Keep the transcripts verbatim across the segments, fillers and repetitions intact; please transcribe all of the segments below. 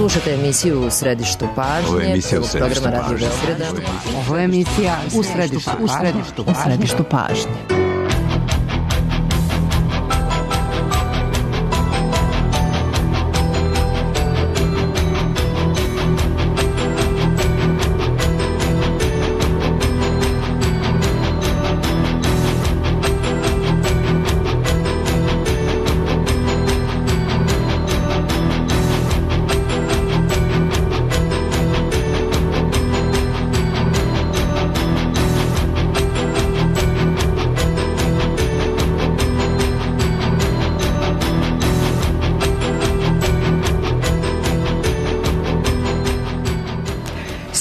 Slušajte emisiju U središtu pažnje. Ovo je emisija U središtu programa Radio pažnje. Beograda. Ovo je emisija U središtu, u središtu, u središtu pažnje.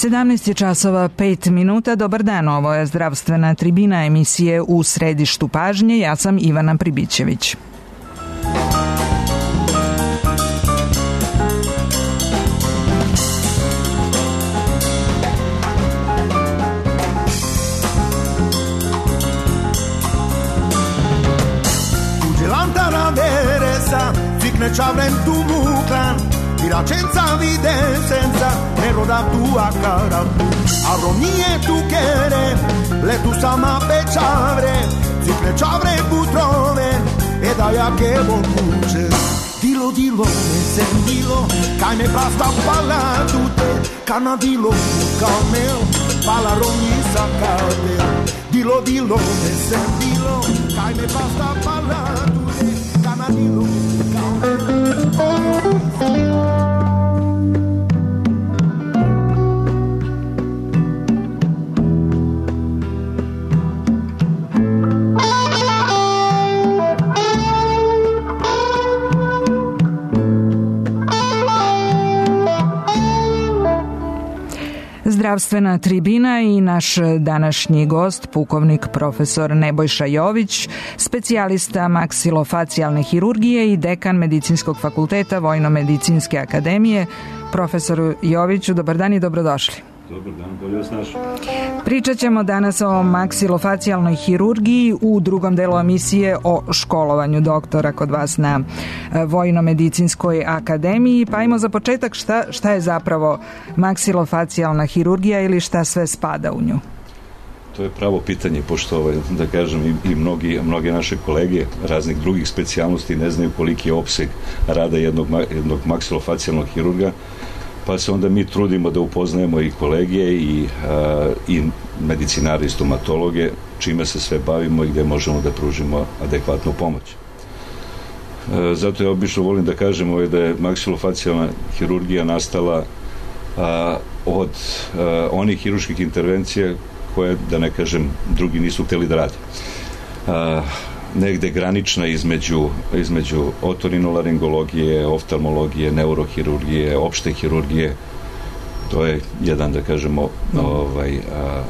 sedamnaest je časova pet minuta. Dobar dan, ovo je zdravstvena tribina emisije U središtu pažnje. Ja sam Ivana Pribićević. Ci avrem tu muclan Tira senza evidenza Nero da tua cara Aronie tu chere Le tu sama pechavre Cifre ci avrem butrove E da ja che volcuce Dilo, dilo, ne sentilo Kaj me basta pala tute Kana dilo, kamel Pala rogni sakate Dilo, dilo, ne sentilo Kaj me basta pala tute Kana dilo Zdravstvena tribina i naš današnji gost, pukovnik profesor Nebojša Jović, specijalista maksilofacijalne hirurgije i dekan Medicinskog fakulteta Vojno-medicinske akademije. Profesoru Joviću, dobar dan i dobrodošli. Dobar dan, bolje vas našli. Pričat ćemo danas o maksilofacijalnoj hirurgiji, u drugom delu emisije o školovanju doktora kod vas na Vojno-medicinskoj akademiji. Pa ajmo za početak, šta, šta je zapravo maksilofacijalna hirurgija ili šta sve spada u nju? To je pravo pitanje, pošto ovaj, da kažem i, i mnogi, mnoge naše kolege raznih drugih specijalnosti ne znaju koliki je opseg rada jednog, jednog maksilofacijalnog hirurga, pa se onda mi trudimo da upoznajemo i kolege i, a, i medicinare i stomatologe, čime se sve bavimo i gde možemo da pružimo adekvatnu pomoć. A, zato ja obično volim da kažem ovaj, da je maksilofacijalna hirurgija nastala a, od a, onih hirurških intervencija koje, da ne kažem, drugi nisu hteli da rade. A, negde granična između, između otorinolaringologije, oftalmologije, neurohirurgije, opšte hirurgije. To je jedan, da kažemo, ovaj, a,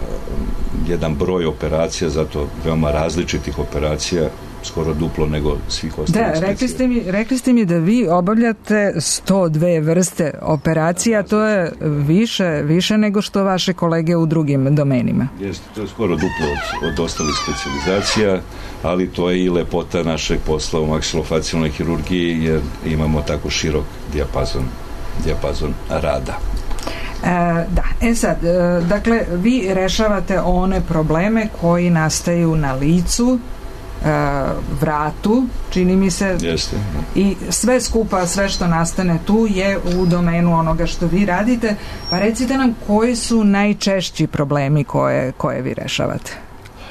jedan broj operacija, zato veoma različitih operacija, skoro duplo nego svih ostalih. Da, rekli ste, mi, rekli ste mi da vi obavljate sto dve vrste operacija, to je više, više nego što vaše kolege u drugim domenima. Jeste, to je skoro duplo od, od ostalih specializacija, ali to je i lepota našeg posla u maksilofacijalnoj hirurgiji, jer imamo tako širok dijapazon, dijapazon rada. E, da, e sad, e, dakle, vi rešavate one probleme koji nastaju na licu, vratu, čini mi se. Jeste. I sve skupa, sve što nastane tu je u domenu onoga što vi radite. Pa recite nam koji su najčešći problemi koje, koje vi rešavate?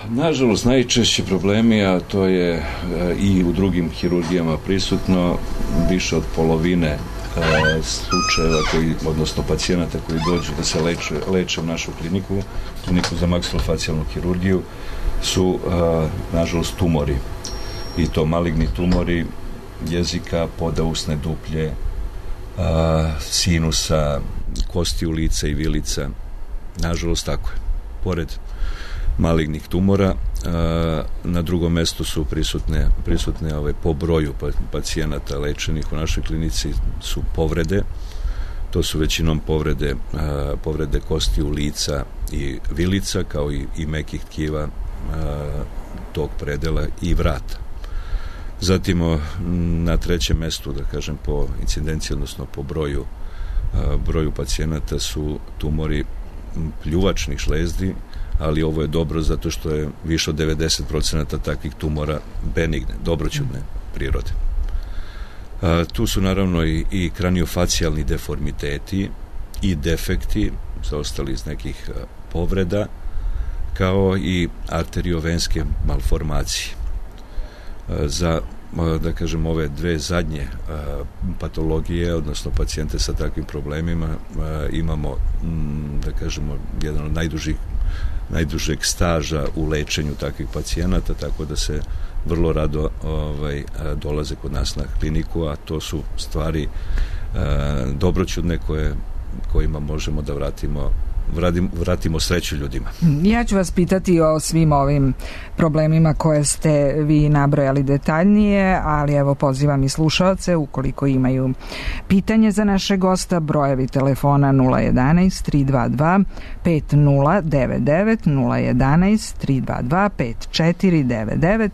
Nažalost, najčešći problemi, a to je e, i u drugim hirurgijama prisutno, više od polovine e, slučajeva koji, odnosno pacijenata koji dođu da se leče, leče u našu kliniku, kliniku za maksilofacijalnu hirurgiju, su, a, nažalost, tumori. I to maligni tumori jezika, podausne duplje, a, sinusa, kosti u lica i vilica. Nažalost, tako je. Pored malignih tumora, a, na drugom mestu su prisutne, prisutne ove, po broju pacijenata lečenih u našoj klinici su povrede. To su većinom povrede, a, povrede kosti u lica i vilica, kao i, i mekih tkiva tog predela i vrata. Zatim na trećem mestu, da kažem, po incidenciji, odnosno po broju broju pacijenata su tumori pljuvačnih žlezdi, ali ovo je dobro zato što je više od devedeset procenata takvih tumora benigne, dobroćudne prirode. A, tu su naravno i, i kraniofacijalni deformiteti i defekti, zaostali iz nekih a, povreda, kao i arteriovenske malformacije. A, za da kažem, ove dve zadnje a, patologije, odnosno pacijente sa takvim problemima, a, imamo, m, da kažemo, jedan od najdužih najdužeg staža u lečenju takvih pacijenata, tako da se vrlo rado ovaj, dolaze kod nas na kliniku, a to su stvari a, dobroćudne koje, kojima možemo da vratimo Vratimo, vratimo sreću ljudima. Ja ću vas pitati o svim ovim problemima koje ste vi nabrojali detaljnije, ali evo pozivam i slušaoce ukoliko imaju pitanje za naše gosta, brojevi telefona nula jedanaest tri dva dva pet nula devet devet, nula jedanaest tri dva dva pet četiri devet devet.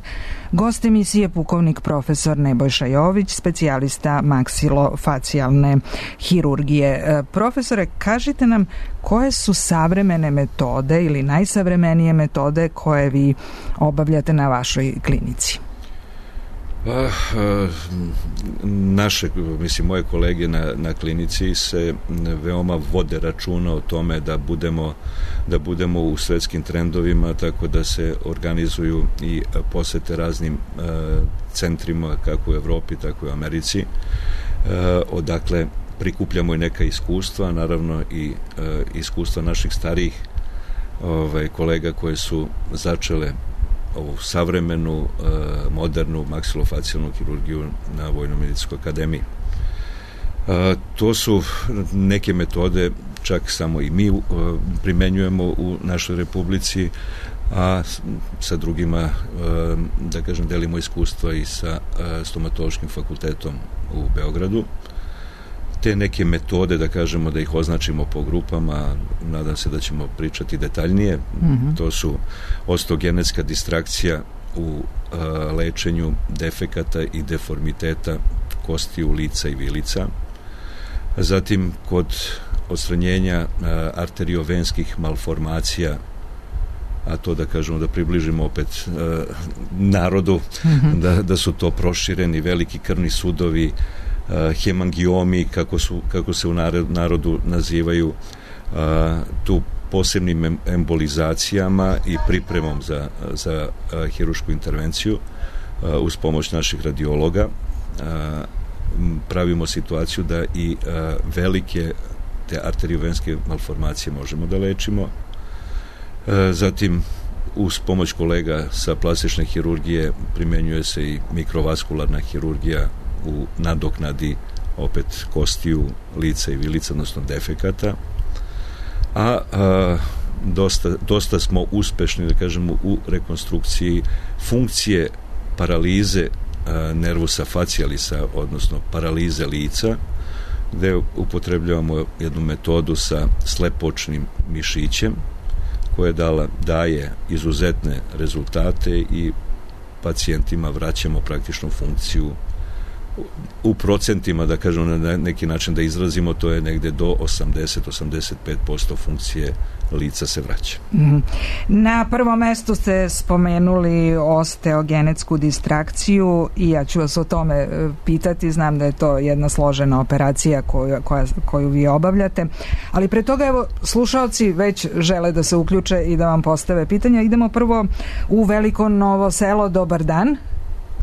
Gost emisije pukovnik profesor Nebojša Jović, specijalista maksilofacijalne hirurgije. Profesore, kažite nam koje su savremene metode ili najsavremenije metode koje vi obavljate na vašoj klinici? Pa, naše, mislim, moje kolege na, na klinici se veoma vode računa o tome da budemo, da budemo u svetskim trendovima, tako da se organizuju i posete raznim uh, centrima, kako u Evropi, tako i u Americi, uh, odakle prikupljamo i neka iskustva, naravno i uh, iskustva naših starijih ovaj, kolega koje su začele ovu savremenu, uh, modernu maksilofacijalnu hirurgiju na Vojno-medicinskoj akademiji. Uh, to su neke metode, čak samo i mi uh, primenjujemo u našoj republici, a sa drugima, uh, da kažem, delimo iskustva i sa uh, stomatološkim fakultetom u Beogradu. Te neke metode, da kažemo, da ih označimo po grupama, nadam se da ćemo pričati detaljnije. Mm-hmm. To su osteogenetska distrakcija u a, lečenju defekata i deformiteta kostiju lica i vilica. Zatim, kod odstranjenja a, arteriovenskih malformacija, a to da kažemo, da približimo opet a, narodu, mm-hmm. da, da su to prošireni veliki krvni sudovi, Uh, hemangiomi, kako, su, kako se u narodu nazivaju, uh, tu posebnim embolizacijama i pripremom za, za uh, hirušku intervenciju uh, uz pomoć naših radiologa. Uh, pravimo situaciju da i uh, velike te arteriovenske malformacije možemo da lečimo. Uh, zatim, uz pomoć kolega sa plastične hirurgije primenjuje se i mikrovaskularna hirurgija u nadoknadi opet kostiju lica i vilica, odnosno defekata, a, a dosta, dosta smo uspešni, da kažemo, u rekonstrukciji funkcije paralize a, nervusa facialisa, odnosno paralize lica, gde upotrebljavamo jednu metodu sa slepočnim mišićem koja dala, daje izuzetne rezultate i pacijentima vraćamo praktičnu funkciju u procentima, da kažemo, na neki način da izrazimo, to je negde do osamdeset do osamdeset pet posto funkcije lica se vraća. Na prvom mestu ste spomenuli osteogenetsku distrakciju i ja ću vas o tome pitati, znam da je to jedna složena operacija koju, koja, koju vi obavljate, ali pre toga, evo, slušaoci već žele da se uključe i da vam postave pitanja. Idemo prvo u Veliko Novo Selo. Dobar dan.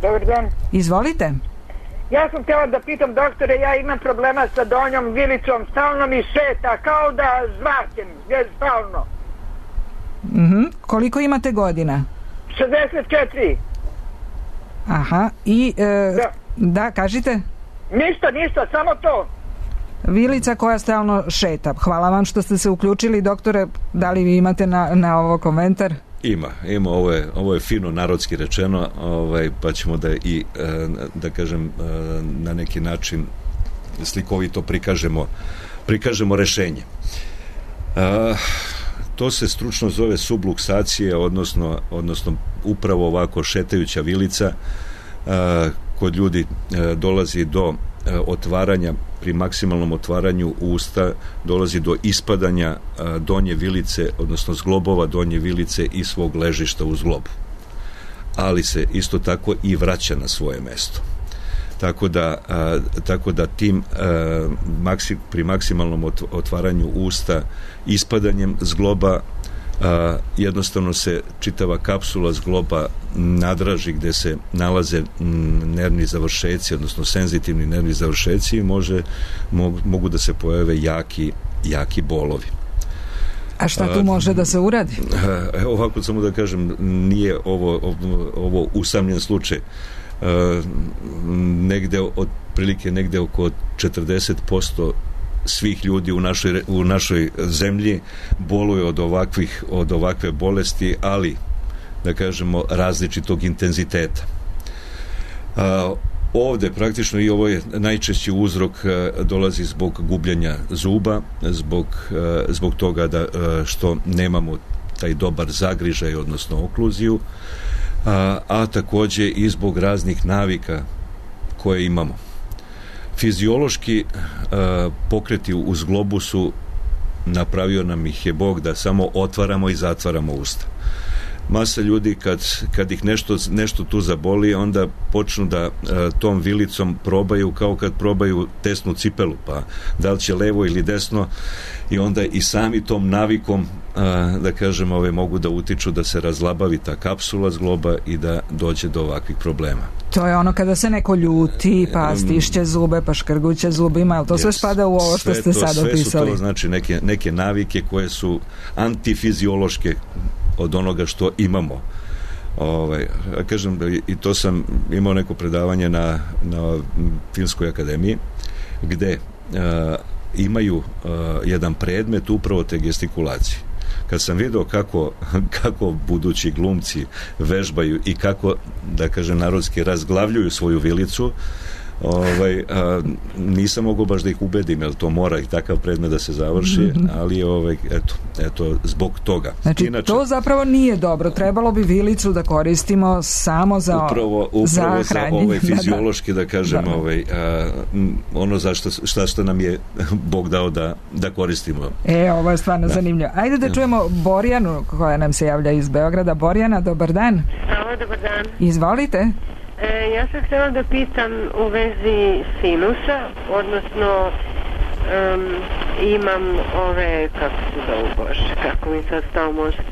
Dobar dan. Izvolite. Ja sam htjela da pitam doktore, ja imam problema sa donjom vilicom, stalno mi šeta, kao da zvakem, stalno. Mm-hmm. Koliko imate godina? šezdeset četiri. Aha, i e, da. da, kažite? Ništa, ništa, samo to. Vilica koja stalno šeta. Hvala vam što ste se uključili, doktore, da li vi imate na, na ovo komentar? Ima, ima, ovo je, ovo je fino narodski rečeno, ovaj, pa ćemo da i, da kažem, na neki način slikovito prikažemo, prikažemo rešenje. A, to se stručno zove subluksacija, odnosno, odnosno upravo ovako šetajuća vilica. A, kod ljudi a, dolazi do a, otvaranja pri maksimalnom otvaranju usta dolazi do ispadanja a, donje vilice, odnosno zglobova donje vilice i svog ležišta u zglobu. Ali se isto tako i vraća na svoje mesto. Tako da, a, tako da tim a, maksi, pri maksimalnom otvaranju usta ispadanjem zgloba a, jednostavno se čitava kapsula zgloba nadraži gde se nalaze m, nervni završeci, odnosno senzitivni nervni završeci i može, mogu, mogu da se pojave jaki, jaki bolovi. A šta tu može da se uradi? Evo ovako samo da kažem, nije ovo, ovo, ovo usamljen slučaj. Uh, negde od prilike negde oko četrdeset posto svih ljudi u našoj, u našoj zemlji boluje od ovakvih od ovakve bolesti, ali da kažemo različitog intenziteta. Uh, ovde praktično i ovo je najčešći uzrok uh, dolazi zbog gubljenja zuba, zbog, uh, zbog toga da, uh, što nemamo taj dobar zagrižaj, odnosno okluziju, A, a takođe i zbog raznih navika koje imamo. Fiziološki a, pokreti u zglobu su napravio nam ih je Bog da samo otvaramo i zatvaramo usta. Masa ljudi kad, kad ih nešto, nešto tu zaboli, onda počnu da a, tom vilicom probaju kao kad probaju tesnu cipelu, pa da li će levo ili desno, i onda i sami tom navikom a, da kažem ove mogu da utiču da se razlabavi ta kapsula zgloba i da dođe do ovakvih problema. To je ono kada se neko ljuti, pa stišće zube, pa škrguće zubima, ali to yes. sve spada u ovo što ste sad opisali? Sve su to, znači, neke, neke navike koje su antifiziološke od onoga što imamo. Ovaj, kažem, i to sam imao neko predavanje na, na Filmskoj akademiji, gde a, imaju a, jedan predmet upravo te gestikulacije. Kad sam vidio kako, kako budući glumci vežbaju i kako, da kažem narodski, razglavljuju svoju vilicu, ovaj, a, nisam mogao baš da ih ubedim, jer to mora i takav predmet da se završi, mm-hmm. ali ovaj, eto, eto, zbog toga. Znači, inače, to zapravo nije dobro. Trebalo bi vilicu da koristimo samo za upravo, upravo za, za ovaj fiziološki, da, da kažem, da. Ovaj, a, ono za što, šta što nam je Bog dao da, da koristimo. E, ovo je stvarno da. zanimljivo. Ajde da čujemo Borjanu, koja nam se javlja iz Beograda. Borjana, dobar dan. Halo, dobar dan. Izvolite. E, ja sam htjela da pitam u vezi sinusa, odnosno um, imam ove, kako se zovu, Bože, kako mi sad stao mozak.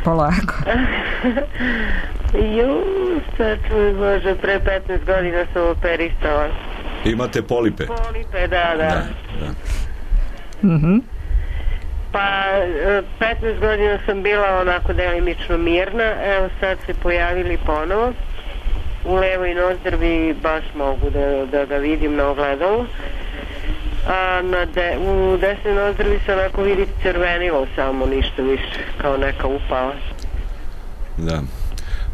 Polako. Ju, sad mi, Bože, pre petnaest godina sam operisala. Imate polipe? Polipe, da, da. da, da. Mhm. Pa petnaest godina sam bila onako delimično mirna, evo sad se pojavili ponovo. U levoj nozdrvi baš mogu da, da ga vidim na ogledalu, a na de, u desnoj nozdrvi se onako vidi crvenilo, samo ništa više, kao neka upala. Da.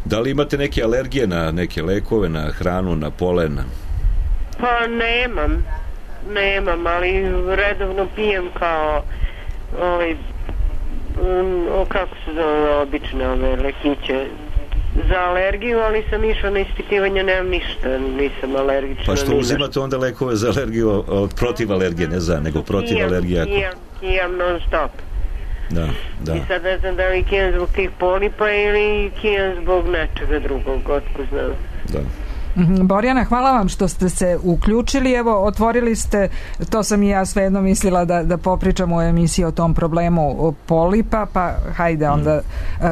Da li imate neke alergije na neke lekove, na hranu, na polen? Pa nemam, nemam, ali redovno pijem kao ovaj, um, o, kako se zove, obične ove lekiće za alergiju, ali sam išla na ispitivanje, nemam ništa, nisam alergična. Pa što uzimate onda lekove za alergiju, protiv alergije, ne za, nego protiv kijam, alergija? Kijam, kijam non stop. Da, da. I sad ne znam da li kijam zbog tih polipa ili kijam zbog nečega drugog, otko znam. Da. Borjana, hvala vam što ste se uključili. Evo, otvorili ste, to sam i ja svejedno mislila da, da popričam u emisiji o tom problemu polipa, pa hajde onda,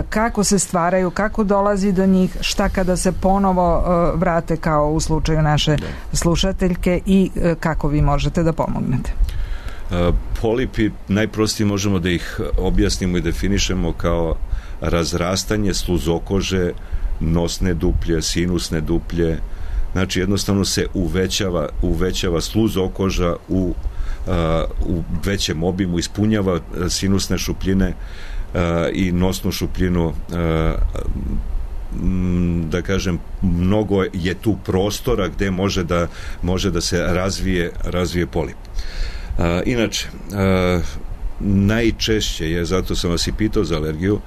kako se stvaraju, kako dolazi do njih, šta kada se ponovo vrate kao u slučaju naše slušateljke i kako vi možete da pomognete? Polipi, najprostije možemo da ih objasnimo i definišemo kao razrastanje sluzokože, nosne duplje, sinusne duplje, znači jednostavno se uvećava, uvećava sluzokoža u, uh, u većem obimu, ispunjava sinusne šupljine uh, i nosnu šupljinu, uh, m, da kažem, mnogo je tu prostora gde može da, može da se razvije, razvije polip. Uh, inače, uh, najčešće je, zato sam vas i pitao za alergiju,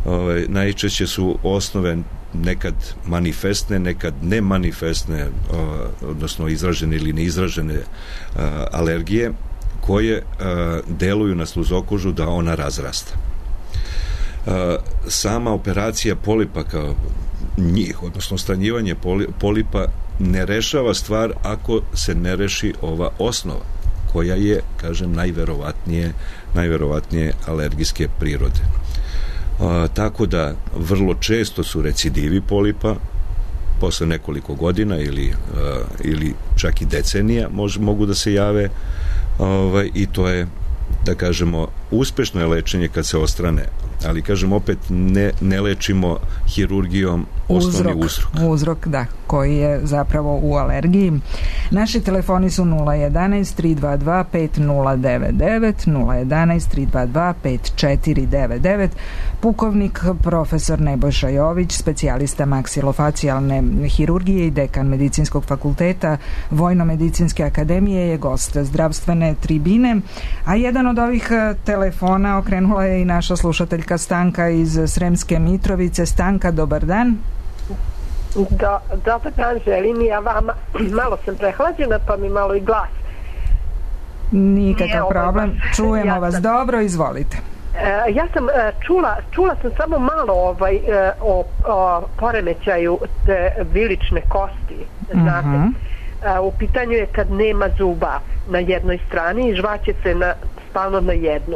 ovaj, najčešće su osnove nekad manifestne, nekad nemanifestne, odnosno izražene ili neizražene alergije koje deluju na sluzokožu da ona razrasta. Sama operacija polipa kao njih, odnosno stranjivanje polipa ne rešava stvar ako se ne reši ova osnova koja je, kažem, najverovatnije, najverovatnije alergijske prirode. A, tako da vrlo često su recidivi polipa posle nekoliko godina ili, a, ili čak i decenija mož, mogu da se jave, ovaj, i to je, da kažemo, uspešno je lečenje kad se ostrane, ali kažem opet ne, ne lečimo hirurgijom osnovni uzrok, uzrok. Uzrok, da, koji je zapravo u alergiji. Naši telefoni su nula jedanaest tri dva dva pet nula devet devet, nula jedanaest tri dva dva pet četiri devet devet. Pukovnik profesor Nebojša Jović, specijalista maksilofacijalne hirurgije i dekan Medicinskog fakulteta Vojno-medicinske akademije, je gost zdravstvene tribine, a jedan od ovih telefona okrenula je i naša slušateljka Stanka iz Sremske Mitrovice. Stanka, dobar dan. Da, dobar dan, želim ja vama. Malo sam prehlađena, pa mi malo i glas. Nikakav problem, čujemo ja vas sam, dobro, izvolite. Uh, ja sam uh, čula, čula sam samo malo ovaj, uh, o, o poremećaju te vilične kosti, znate. Uh-huh. Uh, u pitanju je kad nema zuba na jednoj strani i žvaće se na, stalno na jednu.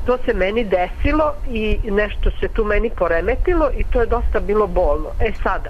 To se meni desilo i nešto se tu meni poremetilo i to je dosta bilo bolno. E sada,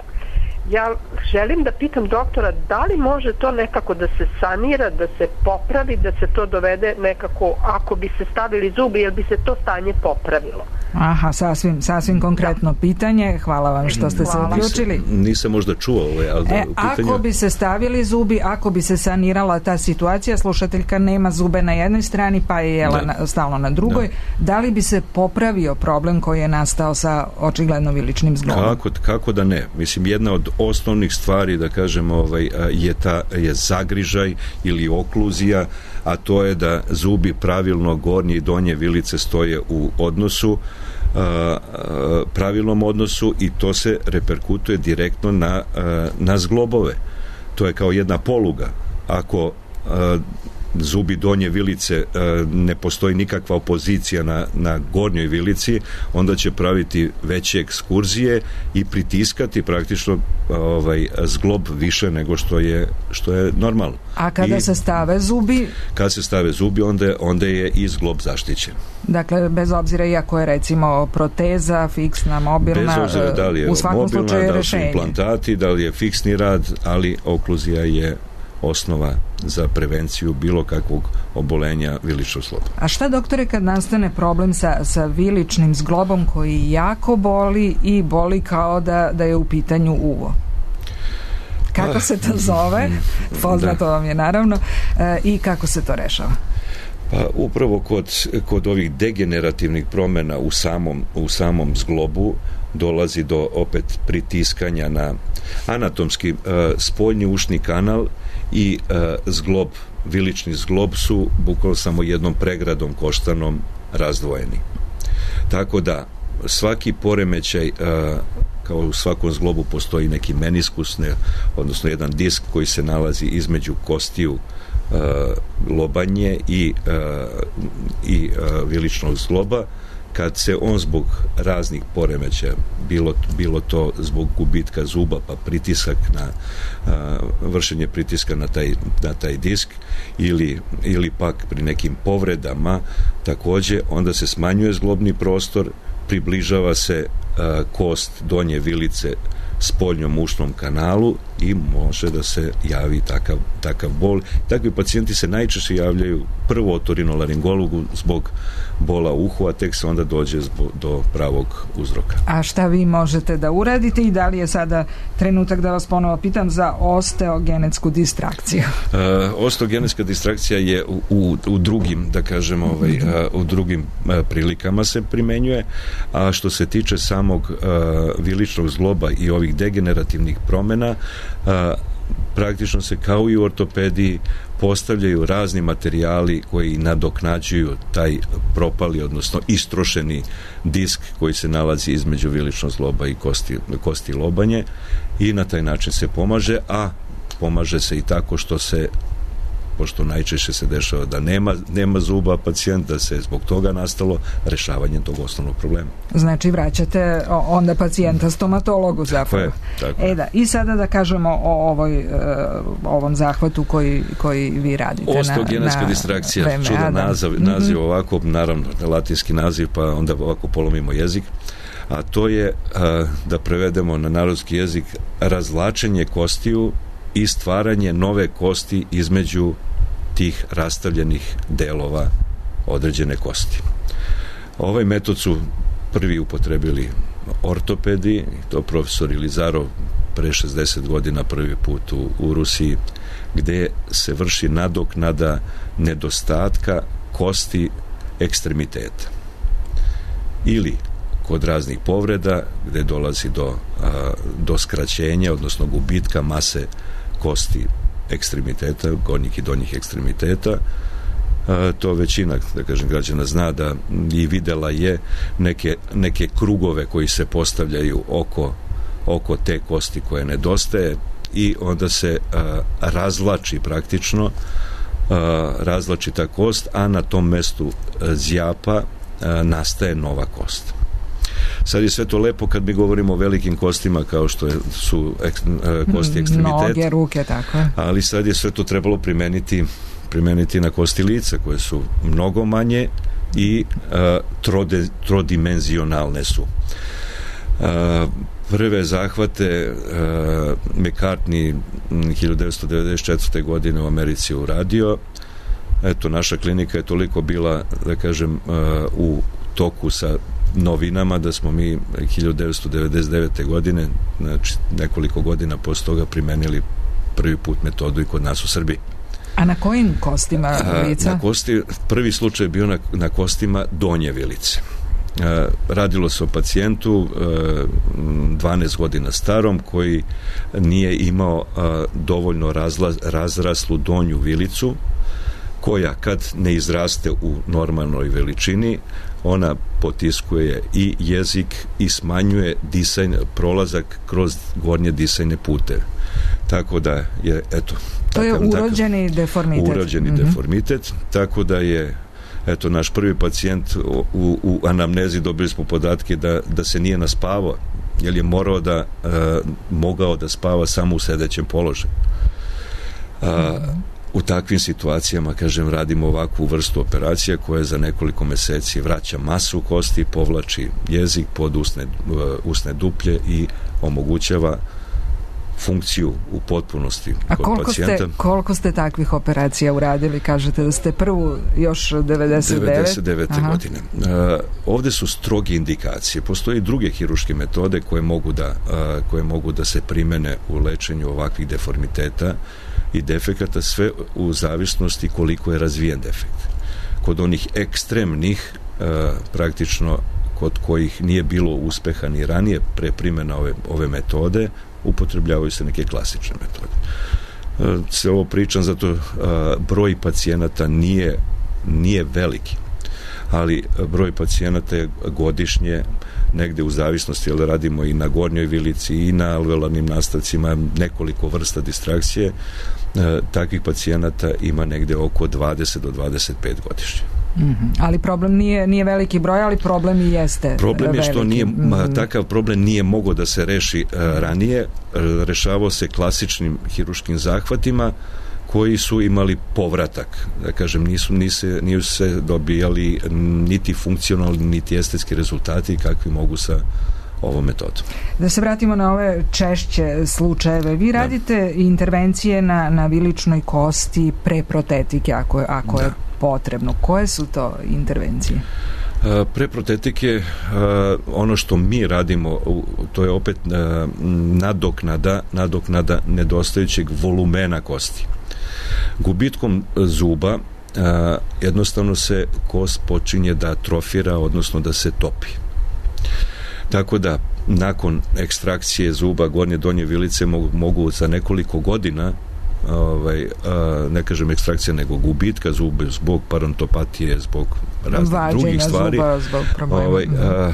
ja želim da pitam doktora da li može to nekako da se sanira, da se popravi, da se to dovede nekako, ako bi se stavili zubi, jel bi se to stanje popravilo? Aha, sasvim, sasvim konkretno da. pitanje. Hvala vam što ste Hvala. se uključili. Nisam, nisam možda čuo ovaj, ali da, e, u pitanju... Ako bi se stavili zubi, ako bi se sanirala ta situacija, slušateljka nema zube na jednoj strani, pa je jela na, stalno na drugoj, da. da li bi se popravio problem koji je nastao sa očigledno viličnim zglobom? Kako, kako da ne? Mislim, jedna od osnovnih stvari, da kažem, ovaj, je, ta, je zagrižaj ili okluzija, a to je da zubi pravilno gornje i donje vilice stoje u odnosu, a, a, pravilnom odnosu, i to se reperkutuje direktno na, a, na zglobove. To je kao jedna poluga. Ako a, zubi donje vilice ne postoji nikakva opozicija na, na gornjoj vilici, onda će praviti veće ekskurzije i pritiskati praktično ovaj zglob više nego što je što je normalno. A kada I, se stave zubi? Kad se stave zubi, onda, onda je i zglob zaštićen. Dakle, bez obzira iako je recimo proteza, fiksna, mobilna, bez obzira da li je u svakom mobilna, slučaju da li su implantati, da li je fiksni rad, ali okluzija je osnova za prevenciju bilo kakvog obolenja viličnog zgloba. A šta, doktore, kad nastane problem sa, sa viličnim zglobom koji jako boli i boli kao da, da je u pitanju uvo? Kako se to zove? Poznato da. vam je naravno. E, i kako se to rešava? Pa upravo kod, kod ovih degenerativnih promjena u samom, u samom zglobu dolazi do opet pritiskanja na anatomski uh, spoljni ušni kanal i uh, zglob, vilični zglob su bukvalno samo jednom pregradom koštanom razdvojeni. Tako da svaki poremećaj, uh, kao u svakom zglobu postoji neki meniskus, ne, odnosno jedan disk koji se nalazi između kostiju uh, lobanje i, uh, i uh, viličnog zgloba. Kad se on zbog raznih poremećaja, bilo, bilo to zbog gubitka zuba, pa pritisak na a, vršenje pritiska na taj, na taj disk, ili, ili pak pri nekim povredama, takođe onda se smanjuje zglobni prostor, približava se a, kost donje vilice spoljnom ušnom kanalu i može da se javi takav, takav bol. Takvi pacijenti se najčešće javljaju prvo otorinolaringologu zbog bola uhu, a tek se onda dođe zbog, do pravog uzroka. A šta vi možete da uradite i da li je sada trenutak da vas ponovo pitam za osteogenetsku distrakciju? Uh, osteogenetska distrakcija je u, u, u drugim, da kažem, ovaj, uh, u drugim uh, prilikama se primenjuje, a što se tiče samog uh, viličnog zgloba i ovih degenerativnih promjena, uh, praktično se kao i u ortopediji postavljaju razni materijali koji nadoknađuju taj propali, odnosno istrošeni disk koji se nalazi između viličnog zgloba i kosti, kosti lobanje, i na taj način se pomaže, a pomaže se i tako što se, pošto najčešće se dešava da nema, nema zuba pacijent, da se zbog toga nastalo rešavanje tog osnovnog problema. Znači vraćate onda pacijenta stomatologu zapravo. Tako je, tako je. E da, i sada da kažemo o ovoj, uh, ovom zahvatu koji, koji vi radite. Osteogenetska distrakcija, čudan naziv, naziv mm-hmm. ovako, naravno latinski naziv, pa onda ovako polomimo jezik, a to je, uh, da prevedemo na narodski jezik, razvlačenje kostiju i stvaranje nove kosti između tih rastavljenih delova određene kosti. Ovaj metod su prvi upotrebili ortopedi, to profesor Ilizarov pre šezdeset godina prvi put u, u Rusiji, gde se vrši nadoknada nedostatka kosti ekstremiteta. Ili kod raznih povreda gde dolazi do, a, do skraćenja, odnosno gubitka mase kosti ekstremiteta, gornjih i donjih ekstremiteta. A, to većina, da kažem, građana zna da i videla je neke, neke krugove koji se postavljaju oko, oko te kosti koje nedostaje, i onda se a, razvlači praktično a, razvlači ta kost, a na tom mestu a, zjapa a, nastaje nova kost. Sad je sve to lepo kad mi govorimo o velikim kostima kao što su ek, kosti ekstremiteta. Noge, ruke, tako je. Ali sad je sve to trebalo primeniti, primeniti na kosti lica koje su mnogo manje i a, trode, trodimenzionalne su. A, prve zahvate a, McCartney hiljadu devetsto devedeset četvrte. godine u Americi uradio. Eto, naša klinika je toliko bila, da kažem, a, u toku sa novinama da smo mi hiljadu devetsto devedeset devete. godine, znači nekoliko godina posle toga, primenili prvi put metodu i kod nas u Srbiji. A na kojim kostima lica? Na kosti, prvi slučaj je bio na, na kostima donje vilice. Radilo se o pacijentu dvanaest godina starom koji nije imao dovoljno razla, razraslu donju vilicu, koja kad ne izraste u normalnoj veličini, ona potiskuje i jezik i smanjuje disajn, prolazak kroz gornje disajne puteve. Tako da je, eto... To je takav, urođeni takav, deformitet. Urođeni mm-hmm. deformitet, tako da je, eto, naš prvi pacijent u, u anamnezi dobili smo podatke da, da se nije naspavao, jer je morao da, uh, mogao da spava samo u sedećem položaju. Uh, mm-hmm. U takvim situacijama, kažem, radimo ovakvu vrstu operacija koja za nekoliko meseci vraća masu kosti, povlači jezik pod usne, usne duplje i omogućava funkciju u potpunosti A kod koliko pacijenta. Ste, koliko ste takvih operacija uradili? Kažete da ste prvu još devedeset devete. devedeset devete. godine. Uh, ovde su stroge indikacije. Postoje i druge hiruške metode koje mogu da, uh, koje mogu da se primene u lečenju ovakvih deformiteta i defekata, sve u zavisnosti koliko je razvijen defekt. Kod onih ekstremnih, uh, praktično kod kojih nije bilo uspeha ni ranije pre primjena ove, ove metode, upotrebljavaju se neke klasične metode. Uh, se ovo pričam zato uh, broj pacijenata nije, nije veliki, ali broj pacijenata je godišnje negde u zavisnosti, jer radimo i na gornjoj vilici i na alveolarnim nastavcima, nekoliko vrsta distrakcije, e, takvih pacijenata ima negde oko dvadeset do dvadeset pet godišnje. Mm-hmm. Ali problem nije, nije veliki broj, ali problem i jeste problem je veliki. Što nije, mm-hmm. takav problem nije mogao da se reši uh, ranije, rešavao se klasičnim hiruškim zahvatima koji su imali povratak, da kažem, nisu, nise, nisu se dobijali niti funkcionalni, niti estetski rezultati kakvi mogu sa ovom metodom. Da se vratimo na ove češće slučajeve. Vi radite da. intervencije na, na viličnoj kosti pre protetike, ako, ako da. je potrebno. Koje su to intervencije? Pre protetike, ono što mi radimo, to je opet nadoknada, nadoknada nedostajućeg volumena kosti. Gubitkom zuba jednostavno se kost počinje da atrofira, odnosno da se topi. Tako da nakon ekstrakcije zuba gornje donje vilice mogu, mogu za nekoliko godina ovaj, ne kažem ekstrakcija, nego gubitka zuba zbog parodontopatije, zbog raznih vađenja drugih stvari, zuba, zbog problema. Ovaj, a,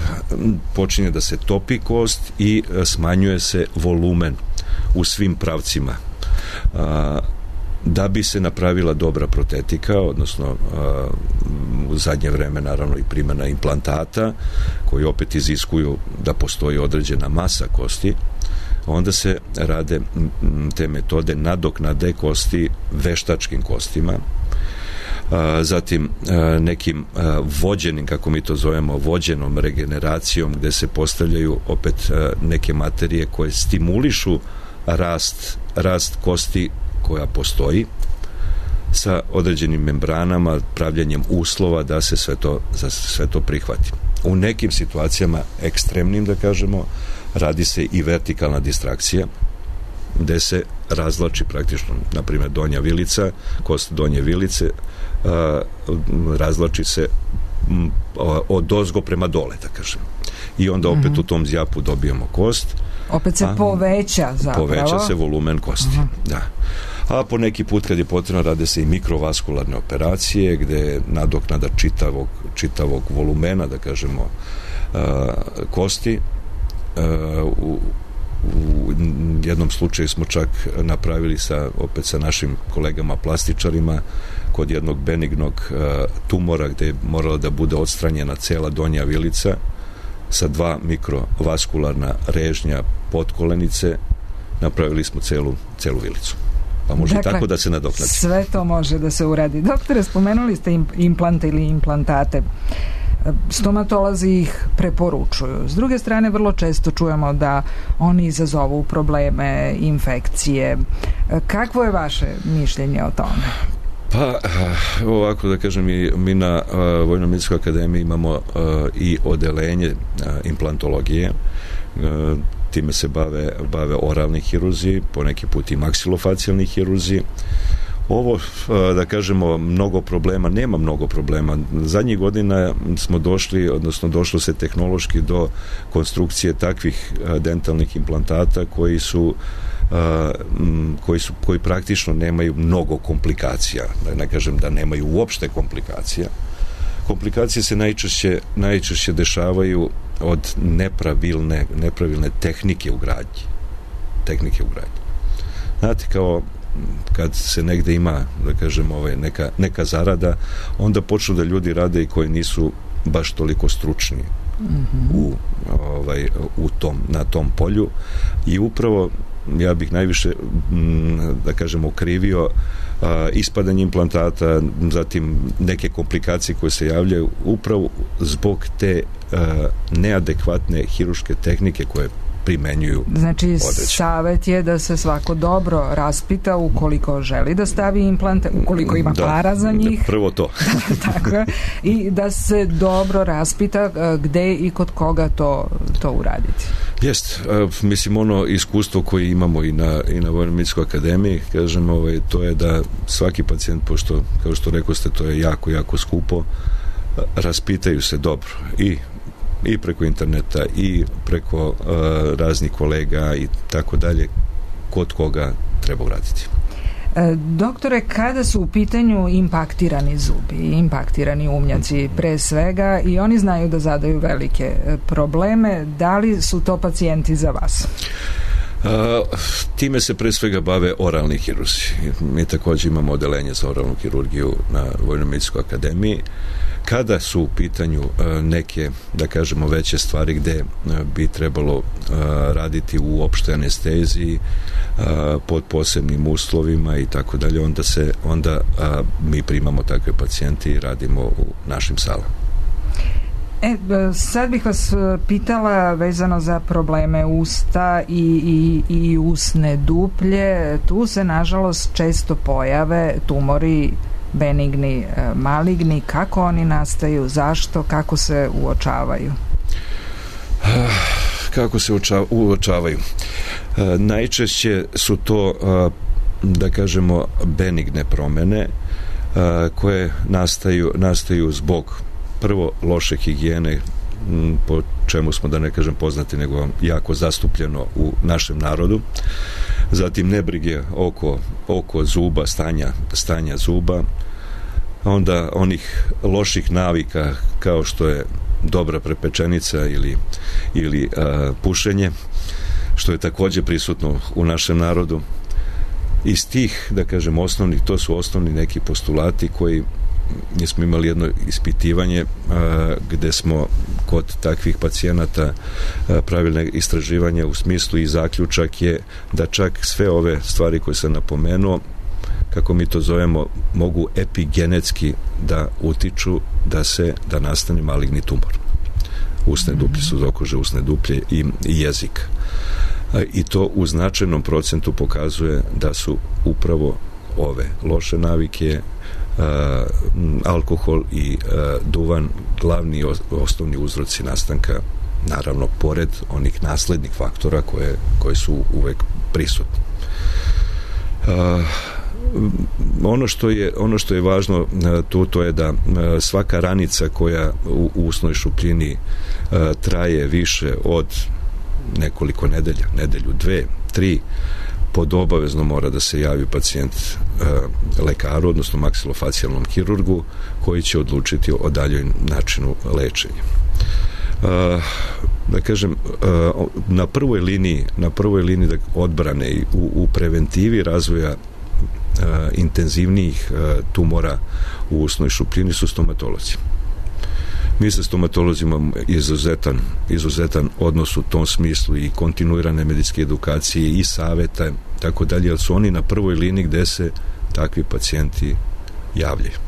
počinje da se topi kost i smanjuje se volumen u svim pravcima. A, da bi se napravila dobra protetika, odnosno a, u zadnje vreme naravno i primjena implantata koji opet iziskuju da postoji određena masa kosti, onda se rade te metode nadoknade kosti veštačkim kostima, a, zatim a, nekim a, vođenim, kako mi to zovemo, vođenom regeneracijom, gde se postavljaju opet a, neke materije koje stimulišu rast, rast kosti koja postoji sa određenim membranama, pravljanjem uslova da se sve to, da se sve to prihvati. U nekim situacijama ekstremnim, da kažemo, radi se i vertikalna distrakcija, gde se razvlači praktično, na primjer, donja vilica, kost donje vilice, a, razvlači se m, od ozgo prema dole, da kažem. I onda opet mm-hmm. u tom zjapu dobijemo kost. Opet se a, poveća zapravo. Poveća se volumen kosti, uh-huh. da. A po neki put kad je potrebno rade se i mikrovaskularne operacije gde je nadoknada čitavog, čitavog volumena, da kažemo, uh, kosti. Uh, u, u jednom slučaju smo čak napravili sa, opet sa našim kolegama plastičarima kod jednog benignog uh, tumora gde je morala da bude odstranjena cela donja vilica sa dva mikrovaskularna režnja podkolenice, napravili smo celu, celu vilicu. Pa može dakle, tako da se nadoknadi. Sve to može da se uradi. Doktore, spomenuli ste implante ili implantate. Stomatolozi ih preporučuju. S druge strane, vrlo često čujemo da oni izazovu probleme, infekcije. Kakvo je vaše mišljenje o tome? Pa, ovako da kažem, mi, mi na uh, Vojno-medicinskoj akademiji imamo uh, i odelenje uh, implantologije. Uh, time se bave, bave oralni hirurzi, poneki put i maksilofacijalni hirurzi. Ovo, uh, da kažemo, mnogo problema, nema mnogo problema. Zadnjih godina smo došli, odnosno došlo se tehnološki do konstrukcije takvih uh, dentalnih implantata koji su Uh, koji su koji praktično nemaju mnogo komplikacija, da ne kažem da nemaju uopšte komplikacija. Komplikacije se najčešće najčešće dešavaju od nepravilne nepravilne tehnike u gradnji. Tehnike u gradnji. Znate, kao kad se negde ima, da kažem, ovaj, neka, neka zarada, onda počnu da ljudi rade i koji nisu baš toliko stručni mm-hmm. u, ovaj, u tom, na tom polju, i upravo ja bih najviše, da kažem, okrivio a, ispadanje implantata, zatim neke komplikacije koje se javljaju upravo zbog te a, neadekvatne hirurške tehnike koje primenjuju. Znači, određen. Savet je da se svako dobro raspita ukoliko želi da stavi implante, ukoliko ima da, para za njih. Prvo to. Tako, i da se dobro raspita gde i kod koga to, to uraditi. Jest, mislim, ono iskustvo koje imamo i na, i na Vojno-medicinskoj akademiji, kažem, ovaj, to je da svaki pacijent, pošto, kao što rekao ste, to je jako, jako skupo, raspitaju se dobro i i preko interneta i preko uh, raznih kolega i tako dalje, kod koga treba uraditi. E, doktore, kada su u pitanju impaktirani zubi, impaktirani umnjaci pre svega, i oni znaju da zadaju velike probleme, da li su to pacijenti za vas? Uh, time se pre svega bave oralni hirurzi. Mi također imamo odelenje za oralnu hirurgiju na Vojno-medicinskoj akademiji. Kada su u pitanju uh, neke, da kažemo, veće stvari gde uh, bi trebalo uh, raditi u opštoj anesteziji, uh, pod posebnim uslovima i tako dalje, onda se onda uh, mi primamo takve pacijente i radimo u našim salama. E, sad bih vas pitala vezano za probleme usta i, i, i usne duplje. Tu se, nažalost, često pojave tumori benigni, maligni. Kako oni nastaju? Zašto? Kako se uočavaju? Kako se uočavaju? Najčešće su to, da kažemo, benigne promene koje nastaju, nastaju zbog prvo loše higijene po čemu smo, da ne kažem poznati, nego jako zastupljeno u našem narodu. Zatim nebrige oko, oko zuba, stanja, stanja zuba, onda onih loših navika kao što je dobra prepečenica ili, ili a, pušenje, što je također prisutno u našem narodu. Iz tih, da kažem, osnovnih, to su osnovni neki postulati koji mi smo imali jedno ispitivanje a, gde smo kod takvih pacijenata a, pravili istraživanje u smislu i zaključak je da čak sve ove stvari koje sam napomenuo, kako mi to zovemo, mogu epigenetski da utiču da se, da nastane maligni tumor. Usne duplje, sudokože, usne duplje i, i jezik. A, i to u značajnom procentu pokazuje da su upravo ove loše navike, Uh, alkohol i uh, duvan glavni os- osnovni uzroci nastanka, naravno pored onih naslednih faktora koje, koje su uvek prisutni. Uh, ono što je ono što je važno uh, tu, to je da uh, svaka ranica koja u, u usnoj šupljini uh, traje više od nekoliko nedelja, nedelju, dve, tri, pod obavezno mora da se javi pacijent e, lekaru, odnosno maksilofacijalnom hirurgu, koji će odlučiti o daljoj načinu lečenja. E, da kažem, e, na prvoj liniji, na prvoj liniji da odbrane i u, u preventivi razvoja e, intenzivnijih e, tumora u usnoj šupljini su stomatolozi. Mi sa stomatolozima imamo izuzetan, izuzetan odnos u tom smislu i kontinuirane medicinske edukacije i saveta, tako dalje, ali su oni na prvoj liniji gde se takvi pacijenti javljaju.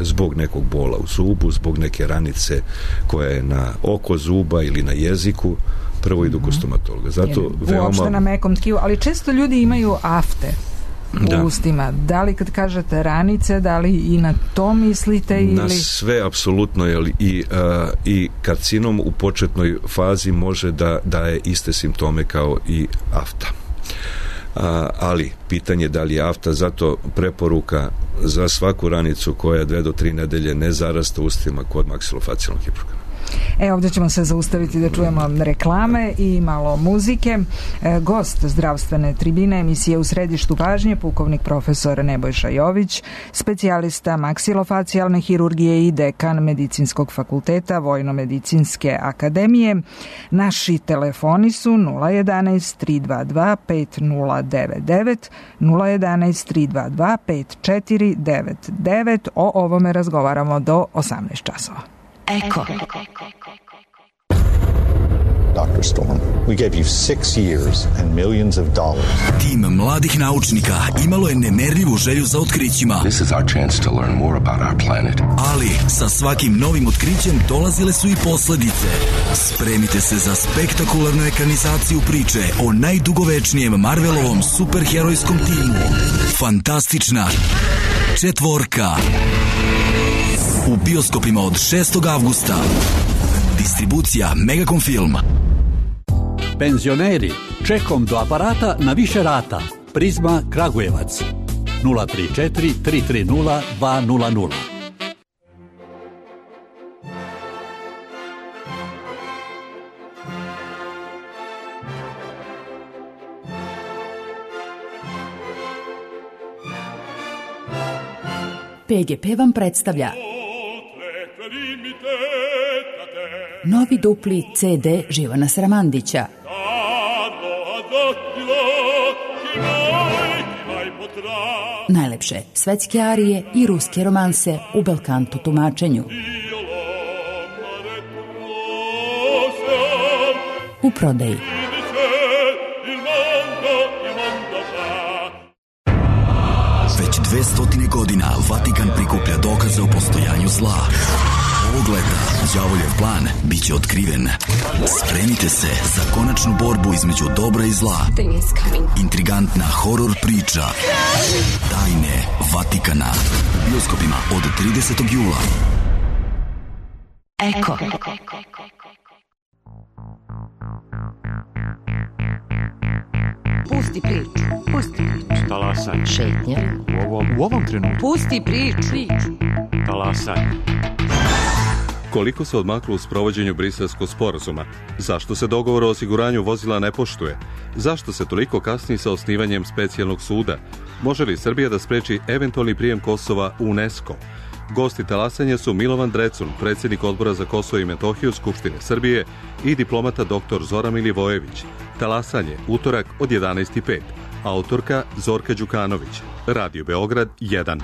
Zbog nekog bola u zubu, zbog neke ranice koja je na oko zuba ili na jeziku, prvo idu kod stomatologa. Zato veoma... Uopšte na mekom tkivu, ali često ljudi imaju afte u da. ustima. Da li kad kažete ranice, da li i na to mislite? Ili... Na sve, apsolutno, jer i, uh, i karcinom u početnoj fazi može da daje iste simptome kao i afta. Uh, ali pitanje da li je afta, zato preporuka za svaku ranicu koja dve do tri nedelje ne zarasta ustima kod maksilofacijalnog hirurga. E, ovdje ćemo se zaustaviti da čujemo reklame i malo muzike. E, gost zdravstvene tribine emisije U središtu pažnje, pukovnik profesor Nebojša Jović, specijalista maksilofacijalne hirurgije i dekan Medicinskog fakulteta Vojno-medicinske akademije. Naši telefoni su nula jedanaest tri dva dva pet nula devet devet, nula jedanaest tri dva dva pet četiri devet devet. O ovome razgovaramo do osamnaest časova. Eko. Doctor Storm, we gave you six years and millions of dollars. Tim mladih naučnika imalo je nemerljivu želju za otkrićima. This is our chance to learn more about our planet. Ali sa svakim novim otkrićem dolazile su i posledice. Spremite se za spektakularnu ekranizaciju priče o najdugovečnijem Marvelovom superherojskom timu. Fantastična četvorka. U bioskopima od šestog avgusta. Distribucija Megacom Film. Penzioneri, čekom do aparata na više rata. Prizma Kragujevac. nula tri četiri tri tri nula dva nula nula. P G P vam predstavlja novi dupli C D Živana Sramandića. Najlepše svetske arije i ruske romanse u belkanto tumačenju. U prodaji. Već dve stotine godina Vatikan prikuplja dokaze o postojanju zla. Ovog leta đavoljev plan bit će otkriven. Spremite se za konačnu borbu između dobra i zla. Intrigantna horor priča Tajne Vatikana u bioskopima od tridesetog jula. Eko. Pusti priču, pusti priču. Talasaj. Šetnja. U ovom, u ovom trenutku. Pusti priču. Talasaj. Koliko se odmaklo u sprovođenju Briselskog sporazuma? Zašto se dogovor o osiguranju vozila ne poštuje? Zašto se toliko kasni sa osnivanjem specijalnog suda? Može li Srbija da spreči eventualni prijem Kosova u UNESCO? Gosti talasanja su Milovan Drecun, predsjednik Odbora za Kosovo i Metohiju Skupštine Srbije, i diplomata doktor Zoran Milivojević. Talasanje, utorak od jedanaest i pet. Autorka Zorka Đukanović. Radio Beograd jedan.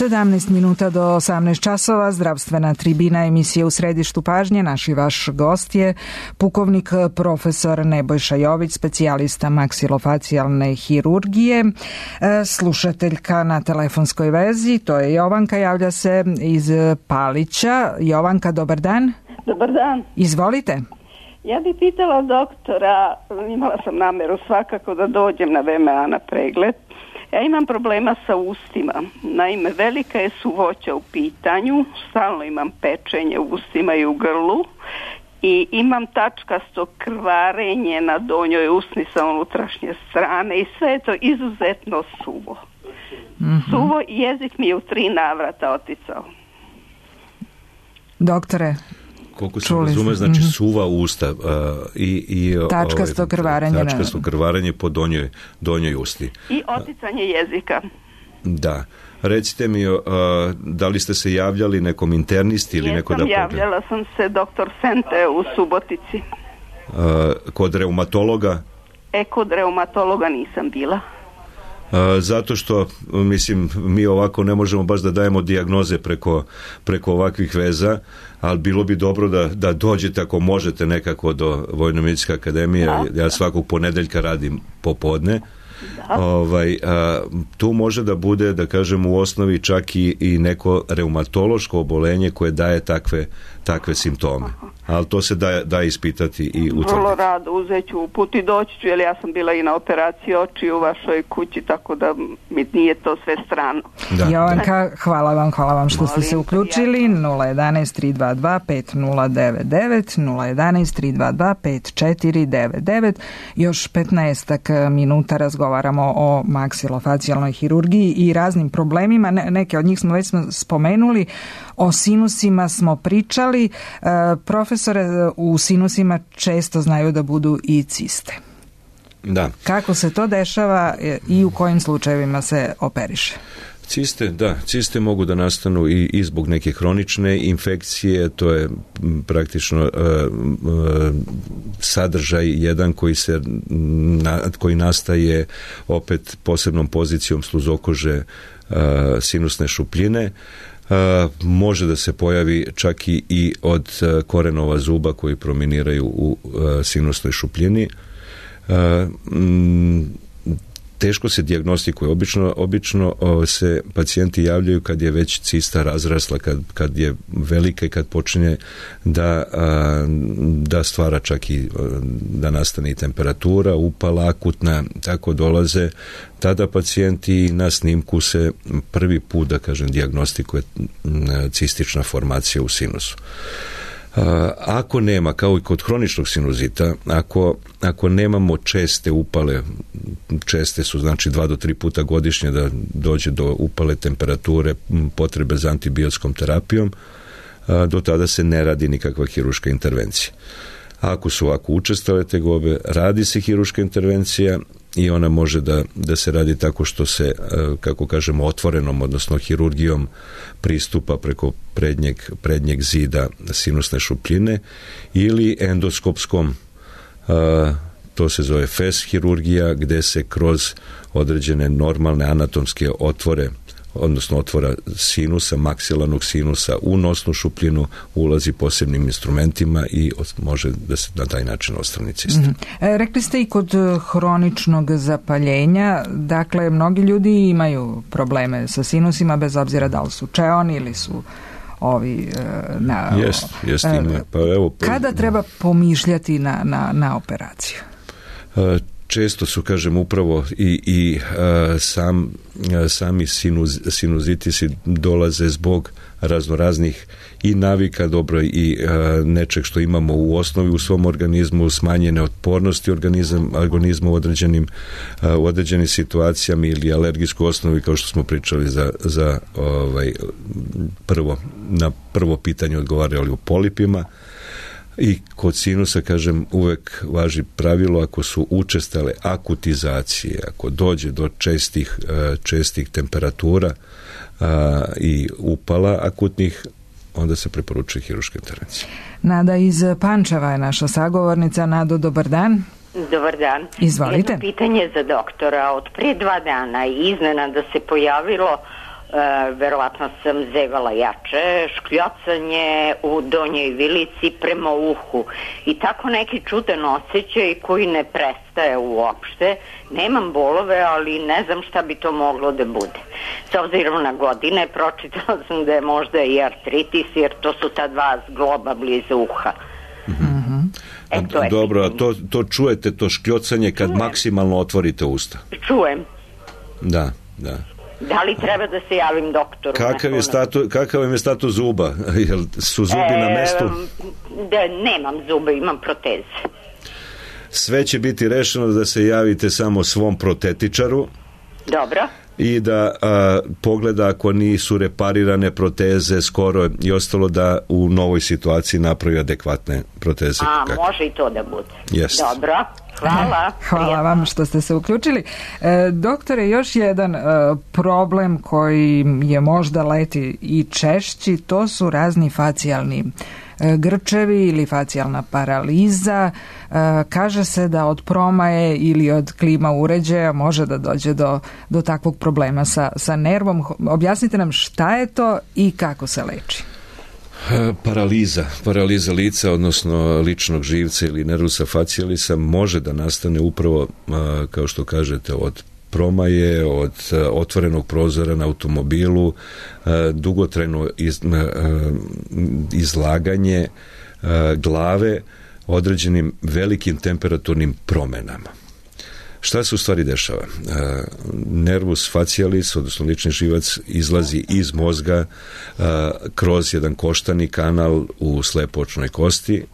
sedamnaest minuta do osamnaest časova, zdravstvena tribina, emisije U središtu pažnje. Naš i vaš gost je pukovnik profesor Nebojša Jović, specijalista maksilofacijalne hirurgije. Slušateljka na telefonskoj vezi, to je Jovanka, javlja se iz Palića. Jovanka, dobar dan. Dobar dan. Izvolite. Ja bih pitala doktora, imala sam nameru svakako da dođem na V M A na pregled. Ja imam problema sa ustima. Naime, velika je suvoća u pitanju, stalno imam pečenje u ustima i u grlu i imam tačkasto krvarenje na donjoj usni sa unutrašnje strane i sve je to izuzetno suvo. Mm-hmm. Suvo i jezik mi je u tri navrata oticao. Doktore, koliko se razume, znači suva usta uh, i, i tačkasto krvarenje, tačkasto krvarenje po donjoj, donjoj usti. I oticanje jezika. Da. Recite mi, uh, da li ste se javljali nekom internisti ili Jesam, neko da pogleda? javljala sam se doktor Sente u Subotici. Uh, kod reumatologa? E, kod reumatologa nisam bila. Uh, zato što, mislim, mi ovako ne možemo baš da dajemo dijagnoze preko, preko ovakvih veza, ali bilo bi dobro da, da dođete ako možete nekako do Vojno-medicinske akademije. Da, ja da. svakog ponedeljka radim popodne. Ovaj, a, tu može da bude, da kažem, u osnovi čak i, i neko reumatološko obolenje koje daje takve, takve simptome. Ali to se da, da ispitati i utvrditi. Vrlo rado, uzet ću put i doći ću, jer ja sam bila i na operaciji oči u vašoj kući, tako da mi nije to sve strano. Da, Jovanka, da. hvala vam, hvala vam što ste se uključili. nula jedan tri dva dva pet nula devet devet, nula jedan tri dva dva pet četiri devet devet. Još petnaestak minuta razgovaramo o maksilofacijalnoj hirurgiji i raznim problemima. Ne, neke od njih smo već smo spomenuli. O sinusima smo pričali. E, profesore, u sinusima često znaju da budu i ciste. Da. Kako se to dešava i u kojim slučajevima se operiše? Ciste, da, ciste mogu da nastanu i, i zbog neke hronične infekcije, to je praktično uh, uh, sadržaj jedan koji se na, koji nastaje opet posebnom pozicijom sluzokože uh, sinusne šupljine. Uh, može da se pojavi čak i, i od uh, korenova zuba koji prominiraju u uh, sinusnoj šupljini. Uh, m, teško se dijagnostikuje. Obično, obično uh, se pacijenti javljaju kad je već cista razrasla, kad, kad je velika i kad počinje da, uh, da stvara čak i uh, da nastane i temperatura, upala akutna, tako dolaze. Tada pacijenti na snimku se prvi put, da kažem, dijagnostikuje cistična formacija u sinusu. Ako nema, kao i kod hroničnog sinuzita, ako, ako nemamo česte upale, česte su znači dva do tri puta godišnje da dođe do upale temperature, potrebe za antibiotskom terapijom, do tada se ne radi nikakva hirurška intervencija. Ako su ovako učestale tegobe, radi se hirurška intervencija i ona može da, da se radi tako što se, kako kažemo, otvorenom, odnosno hirurgijom pristupa preko prednjeg, prednjeg zida sinusne šupljine ili endoskopskom, to se zove F E S hirurgija, gde se kroz određene normalne anatomske otvore, odnosno otvora sinusa, maksilarnog sinusa u nosnu šupljinu, ulazi posebnim instrumentima i može da se na taj način odstrani cista. Mm-hmm. E, rekli ste i kod hroničnog zapaljenja, dakle, mnogi ljudi imaju probleme sa sinusima bez obzira da li su čeoni ili su ovi na... Jest, jest ima. Pa evo, pa... Kada treba pomišljati na, na, na operaciju? A, često su, kažem, upravo i, i a, sam, a, sami sinuz, sinuzitisi dolaze zbog raznoraznih i navika, dobro, i a, nečeg što imamo u osnovi u svom organizmu, smanjene otpornosti organizam, organizma u određenim, a, u određenim situacijama ili alergijsku osnovi, kao što smo pričali za, za ovaj, prvo, na prvo pitanje odgovarali o polipima. I kod sinusa, kažem, uvek važi pravilo, ako su učestale akutizacije, ako dođe do čestih, čestih temperatura a, i upala akutnih, onda se preporučuje hirurška intervencija. Nada iz Pančeva je naša sagovornica. Nado, dobar dan. Dobar dan. Izvolite. Jedno pitanje za doktora. Od prije dva dana iznenada se pojavilo, Uh, verovatno sam zevala jače, škljocanje u donjoj vilici prema uhu i tako neki čudan osjećaj koji ne prestaje uopšte. Nemam bolove, ali ne znam šta bi to moglo da bude. S obzirom na godine, pročitala sam da je možda i artritis, jer to su ta dva zgloba blizu uha. Mm-hmm. E, to je Dobro, a to, to čujete, to škljocanje kad Čujem. maksimalno otvorite usta? Čujem. Da, da. Da li treba da se javim doktoru? Kakav je status, kakav je status zuba? Jel su zubi e, na mestu? Da, nemam zuba, imam proteze. Sve će biti rešeno da se javite samo svom protetičaru. Dobro. I da a, pogleda ako nisu reparirane proteze skoro i ostalo, da u novoj situaciji napravi adekvatne proteze. A, kako? Može i to da bude. Yes. Dobro. Hvala. Hvala vam što ste se uključili. E, doktore, još jedan e, problem koji je možda leti i češći, to su razni facijalni e, grčevi ili facijalna paraliza. E, kaže se da od promaje ili od klima uređaja može da dođe do, do takvog problema sa, sa nervom. Objasnite nam šta je to i kako se leči. Paraliza, paraliza lica, odnosno ličnog živca ili nervusa facialisa može da nastane upravo, kao što kažete, od promaje, od otvorenog prozora na automobilu, dugotrajno iz, izlaganje glave određenim velikim temperaturnim promenama. Šta se u stvari dešava? Nervus facialis, odnosno lični živac, izlazi iz mozga kroz jedan koštani kanal u slepočnoj kosti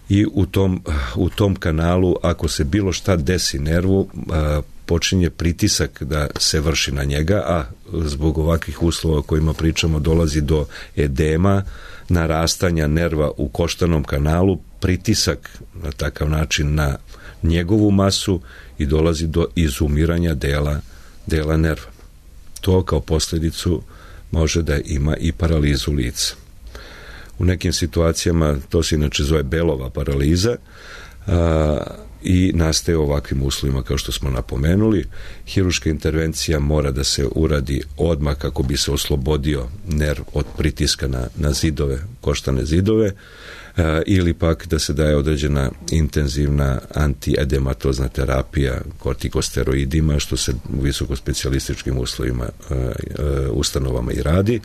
i u tom, u tom kanalu, ako se bilo šta desi nervu, počinje pritisak da se vrši na njega, a zbog ovakvih uslova o kojima pričamo dolazi do edema, narastanja nerva u koštanom kanalu, pritisak na takav način na njegovu masu i dolazi do izumiranja dela, dela nerva. To kao posljedicu može da ima i paralizu lica. U nekim situacijama to se inače zove Bellova paraliza a, i nastaje u ovakvim uslovima kao što smo napomenuli. Hiruška intervencija mora da se uradi odmah kako bi se oslobodio nerv od pritiska na, na zidove, koštane zidove, a, ili pak da se daje određena intenzivna antiedematozna terapija kortikosteroidima, što se u visokospecijalističkim uslovima, a, a, ustanovama i radi.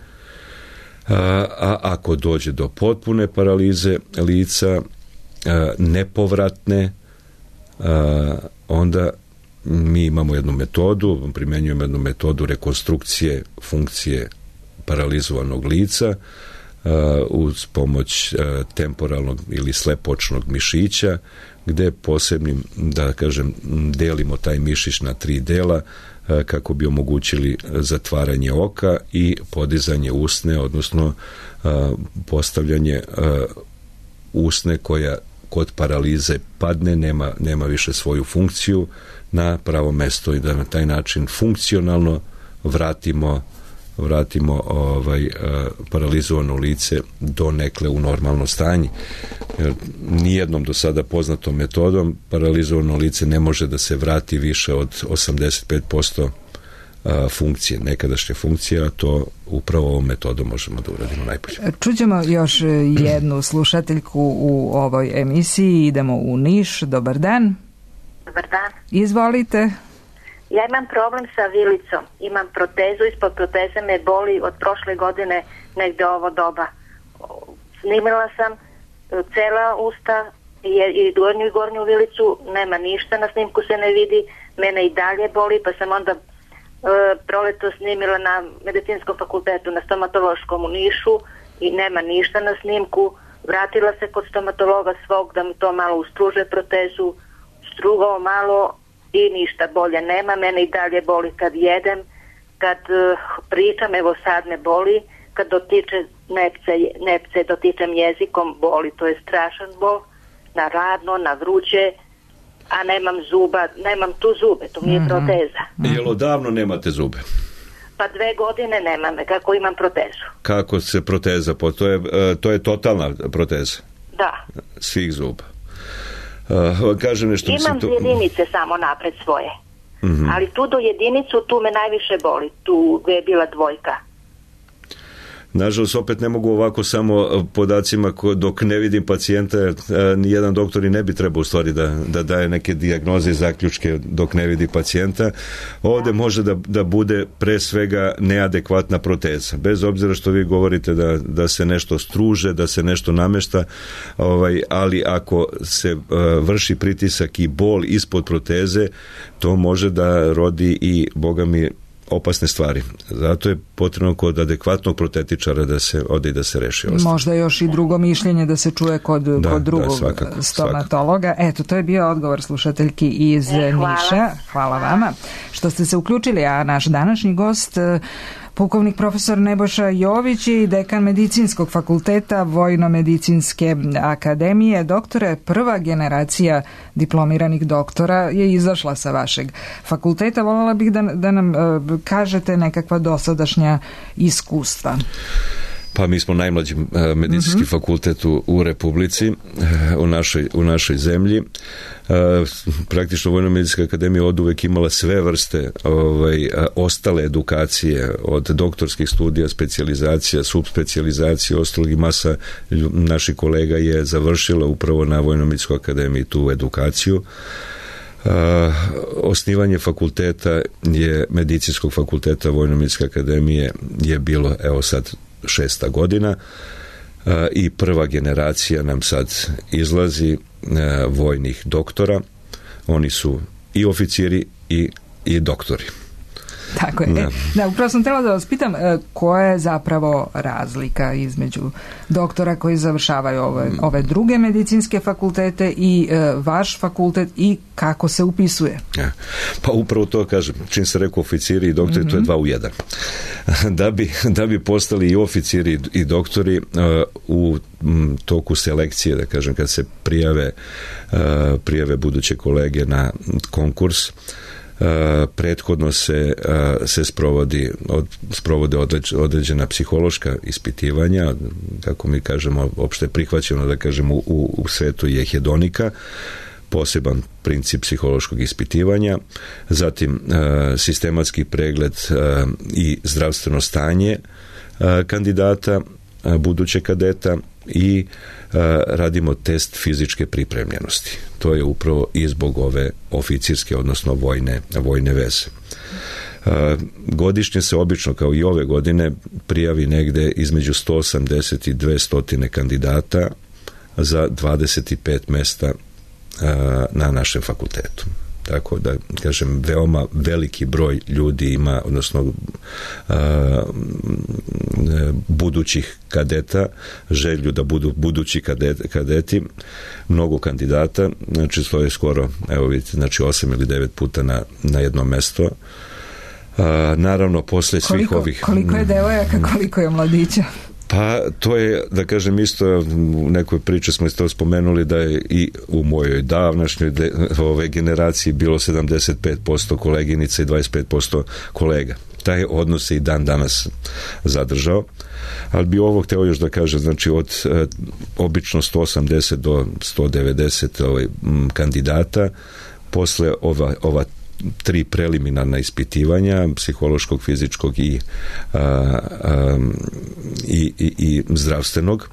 A, a ako dođe do potpune paralize lica, a, nepovratne, a, onda mi imamo jednu metodu, primjenjujemo jednu metodu rekonstrukcije funkcije paralizovanog lica Uh, uz pomoć uh, temporalnog ili slepočnog mišića, gde posebnim, da kažem, delimo taj mišić na tri dela uh, kako bi omogućili zatvaranje oka i podizanje usne, odnosno uh, postavljanje uh, usne koja kod paralize padne, nema, nema više svoju funkciju na pravo mesto i da na taj način funkcionalno vratimo vratimo ovaj paralizovano lice donekle u normalno stanje. Jer nijednom do sada poznatom metodom paralizovano lice ne može da se vrati više od osamdeset pet posto funkcije, nekadašnje funkcije, a to upravo ovom metodom možemo da uradimo najbolje. Čućemo još jednu slušateljku u ovoj emisiji. Idemo u Niš. Dobar dan. Dobar dan. Izvolite. Ja imam problem sa vilicom. Imam protezu, ispod proteze me boli od prošle godine negde ovo doba. Snimila sam cela usta i gornju i gornju vilicu, nema ništa, na snimku se ne vidi, mene i dalje boli, pa sam onda e, proleto snimila na medicinskom fakultetu, na stomatološkom u Nišu i nema ništa na snimku. Vratila se kod stomatologa svog da mi to malo ustruže protezu, strugao malo i ništa bolje nema, mene i dalje boli kad jedem, kad uh, pričam, evo sad me boli, kad dotiče nepce, nepce dotičem jezikom, boli, to je strašan bol, na radno, na vruće, a nemam zuba, nemam tu zube, to mi je mm-hmm. proteza. Jel odavno nemate zube? Pa dve godine nemam, kako imam protezu. Kako se proteza, to je, to je totalna proteza? Da. Svih zuba. Uh, kaže nešto, imam to... jedinice samo napred svoje, mm-hmm. ali tu do jedinicu tu me najviše boli, tu gde je bila dvojka. Nažalost, opet ne mogu ovako samo podacima dok ne vidim pacijenta, nijedan doktor i ne bi trebao u stvari da, da daje neke dijagnoze i zaključke dok ne vidi pacijenta. Ovdje može da, da bude pre svega neadekvatna proteza. Bez obzira što vi govorite da, da se nešto struže, da se nešto namešta, ovaj, ali ako se uh, vrši pritisak i bol ispod proteze, to može da rodi i, boga mi, opasne stvari. Zato je potrebno kod adekvatnog protetičara da se ode i da se reši ostalo. Možda još i drugo mišljenje da se čuje kod, da, kod drugog da, svakako, stomatologa. Svakako. Eto, to je bio odgovor slušateljki iz e, hvala. Niša. Hvala vama što ste se uključili, a naš današnji gost Pukovnik profesor Nebojša Jović je i dekan Medicinskog fakulteta Vojno-medicinske akademije. Doktore, prva generacija diplomiranih doktora je izašla sa vašeg fakulteta. Voljela bih da, da nam uh, kažete nekakva dosadašnja iskustva. Pa mi smo najmlađi uh, medicinski mm-hmm. fakultet u, u Republici, uh, u, našoj, u našoj zemlji. Uh, praktično Vojno-medicinska akademija od uvek imala sve vrste ovaj, uh, ostale edukacije, od doktorskih studija, specijalizacija, subspecijalizacije, ostalog i masa naših kolega je završila upravo na Vojno-medicinskoj akademiji tu edukaciju. Uh, osnivanje fakulteta je medicinskog fakulteta Vojno-medicinske akademije je bilo, evo sad, šesta godina uh, i prva generacija nam sad izlazi uh, vojnih doktora. Oni su i oficiri i, i doktori. Tako je. Da. E, da, upravo sam htjela da vas pitam koja je zapravo razlika između doktora koji završavaju ove, ove druge medicinske fakultete i e, vaš fakultet i kako se upisuje? Ja. Pa upravo to kažem. Čim se rekao oficiri i doktori, mm-hmm. to je dva u jedan. Da bi, da bi postali i oficiri i doktori uh, u m, toku selekcije, da kažem, kad se prijave, uh, prijave buduće kolege na konkurs, Uh, prethodno se, uh, se sprovodi, od, sprovode određ, određena psihološka ispitivanja, kako mi kažemo, opšte prihvaćeno, da kažemo, u, u svetu je hedonika, poseban princip psihološkog ispitivanja, zatim uh, sistematski pregled uh, i zdravstveno stanje uh, kandidata, uh, buduće kadeta i uh, radimo test fizičke pripremljenosti. To je upravo i zbog ove oficirske, odnosno vojne, vojne veze. Uh, godišnje se obično, kao i ove godine, prijavi negde između sto osamdeset i dvesta kandidata za dvadeset pet mesta uh, na našem fakultetu. Tako da, kažem, veoma veliki broj ljudi ima, odnosno uh, budućih kadeta, želju da budu budući kadeti, kadeti, mnogo kandidata, znači to je skoro, evo vidite, znači osam ili devet puta na, na jedno mesto. Uh, naravno, posle svih koliko, ovih... Koliko je devojaka, koliko je mladića? Pa to je, da kažem, isto u nekoj priči smo isto spomenuli da je i u mojoj davnašnjoj de, ove generaciji bilo sedamdeset pet posto koleginica i dvadeset pet posto kolega. Taj odnos se i dan danas zadržao, ali bi ovo hteo još da kažem, znači od e, obično sto osamdeset do sto devedeset ovaj, m, kandidata, posle ova, ova tri preliminarna ispitivanja psihološkog, fizičkog i, a, a, i, i, i zdravstvenog,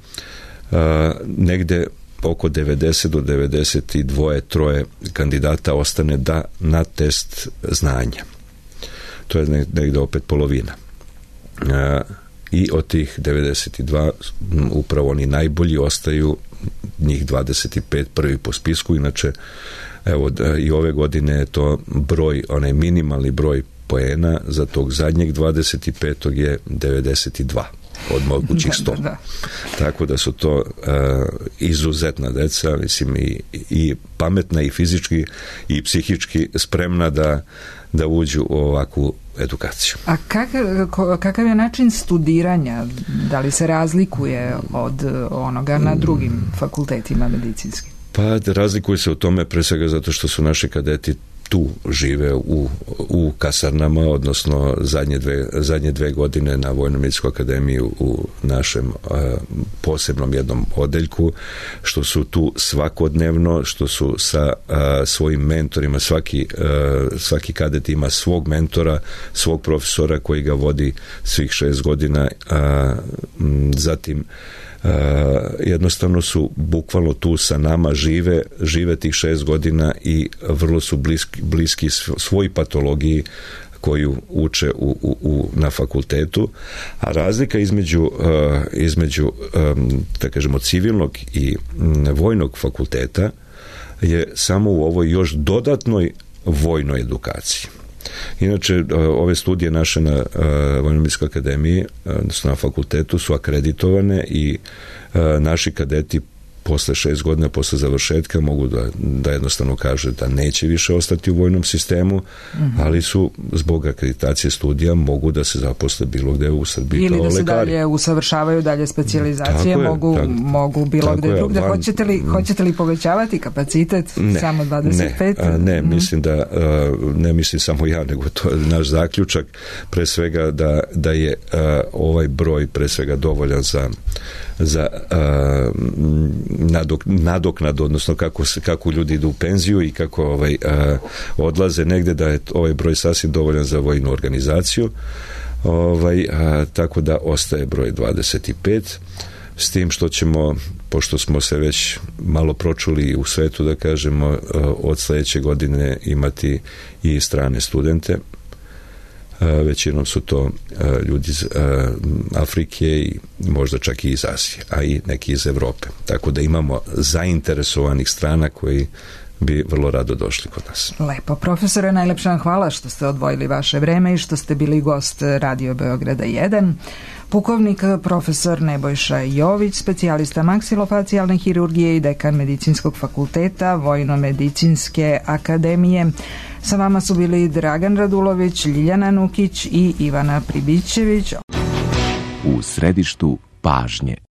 a, negde oko devedeset do devedeset dva troje kandidata ostane da na test znanja. To je negde opet polovina. A, i od tih devedeset dva upravo oni najbolji ostaju, njih dvadeset pet prvi po spisku, inače evo da, i ove godine je to broj, onaj minimalni broj poena za tog zadnjeg dvadeset petog je devedeset dva od mogućih sto. Da, da, da. Tako da su to uh, izuzetna deca, mislim i, i pametna i fizički i psihički spremna da, da uđu u ovakvu edukaciju. A kakav, kakav je način studiranja? Da li se razlikuje od onoga na drugim fakultetima medicinskim? Pa razlikuje se u tome pre svega zato što su naši kadeti tu žive u, u kasarnama, odnosno zadnje dve, zadnje dve godine na Vojno-medicinskoj akademiji u našem a, posebnom jednom odeljku, što su tu svakodnevno, što su sa a, svojim mentorima, svaki, a, svaki kadet ima svog mentora, svog profesora koji ga vodi svih šest godina, a, m, zatim Uh, jednostavno su bukvalno tu sa nama, žive, žive tih šest godina i vrlo su bliski, bliski svoj patologiji koju uče u, u, u, na fakultetu, a razlika između, uh, između um, da kažemo civilnog i um, vojnog fakulteta je samo u ovoj još dodatnoj vojnoj edukaciji. Inače, ove studije naše na Vojno-medicinskoj akademiji, odnosno na fakultetu, su akreditovane i naši kadeti posle šest godina, posle završetka mogu da, da jednostavno kaže da neće više ostati u vojnom sistemu, mm-hmm. ali su zbog akreditacije studija mogu da se zaposle bilo gde u Srbiji ili kao da se lekari. dalje usavršavaju, dalje specijalizacije, tako mogu, je, tako, mogu bilo tako gde je, drugde. van, Hoćete li, hoćete li povećavati kapacitet ne, samo dvadeset pet? Ne, ne mm. mislim da, ne mislim samo ja, nego to je naš zaključak, pre svega da, da je ovaj broj pre svega dovoljan za za uh, nadok, nadoknadu, odnosno kako, kako ljudi idu u penziju i kako ovaj, uh, odlaze negde, da je ovaj broj sasvim dovoljan za vojnu organizaciju, ovaj, uh, tako da ostaje broj dvadeset pet, s tim što ćemo, pošto smo se već malo pročuli u svetu, da kažemo, uh, od sledeće godine imati i strane studente. Većinom su to ljudi iz Afrike i možda čak i iz Azije, a i neki iz Evrope. Tako da imamo zainteresovanih strana koji bi vrlo rado došli kod nas. Lepo. Profesore, najlepša vam hvala što ste odvojili vaše vreme i što ste bili gost Radio Beograda jedan. Pukovnik profesor Nebojša Jović, specijalista maksilofacijalne hirurgije i dekan Medicinskog fakulteta Vojno-medicinske akademije. Sa vama su bili Dragan Radulović, Ljiljana Nukić i Ivana Pribićević. U središtu pažnje.